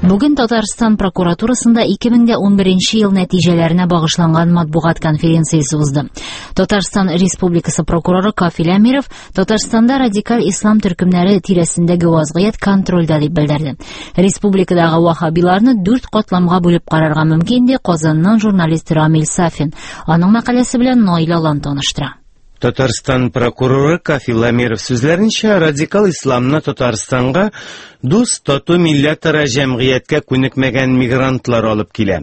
Бүген Татарстан прокуратурасында 2011 ел нәтиҗәләренә багышланган матбугат конференциясе узды. Татарстан Республикасы прокуроры Кафил Әмиров Татарстанда радикаль ислам төркемнәре тирәсендәге вазгыять контрольдә дип белдерде. Республикадагы ваһһабиларны дүрт катламга бүлеп карарга мөмкин, ди Казаннан журналист Рамил Сафин. Аның мәкаләсе белән Наил Алан таныштыра. Татарстан прокуроры Кафил Әмиров сүзләренчә, радикал исламны Татарстанга дус, тату милләтара җәмгыятькә күнекмәгән мигрантлар алып килә.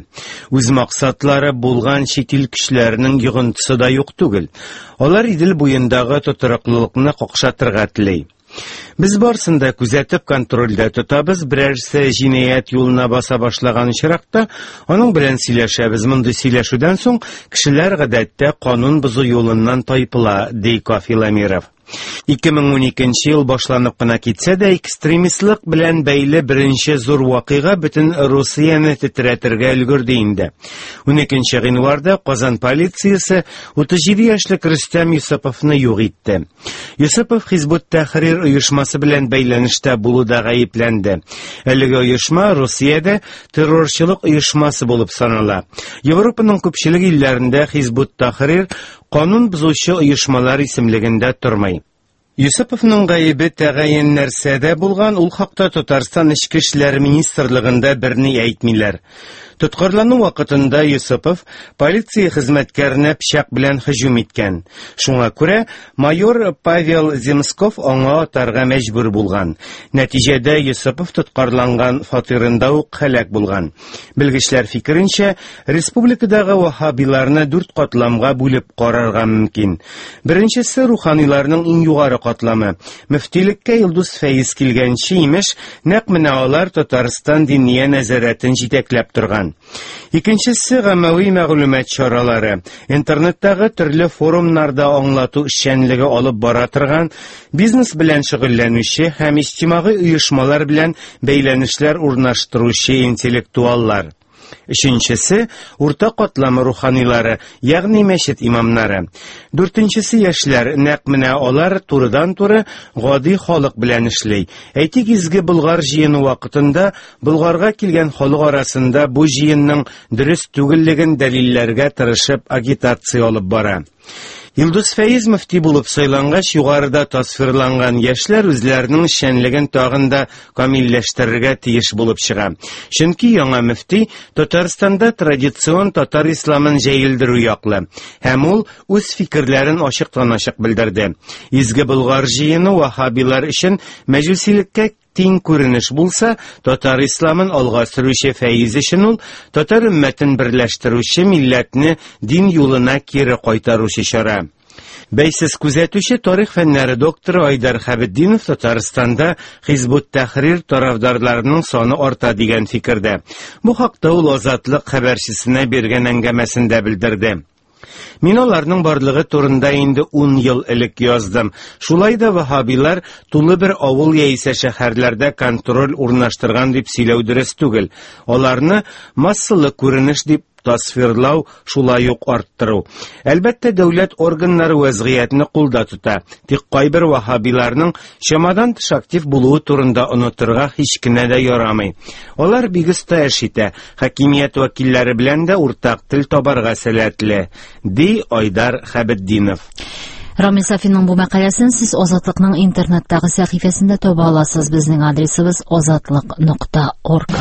Үз максатлары булган чит ил көчләренең йогынтысы да юк түгел. Алар Идел буендагы тотрыклылыкны какшатырга тели. Без барсын да күзәтеп контрольдә тотабыз, берәрсе җинаять юлына баса башлаган очракта, аның белән сөйләшәбез. Мондый сөйләшүдән соң кешеләр гадәттә канун бозу юлыннан тайпыла, ди Кафил Әмиров. 2012 ел башланып кына китсә дә, экстремистлык белән бәйле беренче зур вакыйга бөтен Русияне тетрәтергә өлгерде инде. 12 гыйнварда Казан полициясе 37 яшьлек Рөстәм Йосыповны юк итте. Йосыпов Хизбут Тәхрир оешмасы белән бәйләнештә булуда гаепләнде. Әлеге оешма Русиядә террорчылык оешмасы булып санала. Европаның күпчелек илләрендә Хизбут Тәхрир канун бозучы оешмалар исемлегендә тормый. Йосыповның гаебе тәгаен нәрсәдә булган, ул хакта Татарстан Эчке эшләр министрлыгында берни әйтмиләр. Тоткарлану вакытында Йосыпов полиция хезмәткәренә пычак белән һөҗүм иткән. Шуңа күрә майор Павел Земсков аңа атарга мәҗбүр булган. Нәтиҗәдә Йосыпов тоткарланган фатирында ук һәлак булган. Белгечләр фикеренчә, республикадагы ваһһабиларны дүрт катламга бүлеп карарга мөмкин. Беренчесе руханиларның иң югары катламы. Мөфтилеккә Илдус Фәиз килгәнче, имеш, нәкъ менә алар Татарстан диния нәзарәтен җитәкләп торган. Икенчесе гаммәви мәгълүмат чаралары, интернеттагы төрле форумнарда аңлату эшчәнлеге алып бара торган, бизнес белән шөгыльләнүче һәм иҗтимагый оешмалар белән бәйләнешләр урнаштыручы интеллектуаллар. Өченчесе урта катлам руханилары, ягъни мәчет имамнары. Дүртенчесе яшьләр, нәкъ менә алар турыдан-туры гади халык белән эшли. Әйтик, Изге Болгар җыены вакытында Болгарга килгән халык арасында бу җыенның дөрес түгеллеген дәлилләргә тырышып агитация алып бара. Илдус Фәиз мөфти булып сайлангач, югарыда тасвирланган яшьләр үзләренең эшчәнлеген тагын да камилләштерергә тиеш булып чыга. Чөнки яңа мөфти Татарстанда традицион татар исламын җәелдерү яклы һәм ул үз фикерләрен ачыктан-ачык белдерде. Изге Болгар җыены ваһһабилар өчен мәҗүсилеккә тиң күренеш булса, татар исламын алга сөрүче Фәиз өчен ул татар өммәтен берләштерүче милләтне дин юлына кире кайтаручы чара. Бәйсез күзәтүче тарих фәннәре докторы Айдар Хәбетдинов Татарстанда Хизбут Тәхрир тарафдарларының саны арта дигән фикердә. Бу хакта ул Азатлык хәбәрчесенә биргән әңгәмәсендә белдерде. Мин аларның барлыгы турында инде 10 ел элек яздым. Шулай да ваһһабилар тулы бер авыл яисә шәһәрләрдә контроль урнаштырган дип сөйләү дөрес түгел. Аларны массалы күренеш дип тасвирлау шулай ук арттыру. Әлбәттә, дәүләт органнары вәзгыятьне кулда тота. Тик кайбер ваһһабиларның чамадан тыш актив булуы турында онытырга һич кенә дә ярамый. Алар бик оста эш итә, хакимият вәкилләре белән дә уртак тел табарга сәләтле, ди Айдар Хәбетдинов. Рамил Сафинның бу мәкаләсен сез Азатлыкның интернеттагы сәхифәсендә таба аласыз. Безнең адресыбыз азатлык.орг.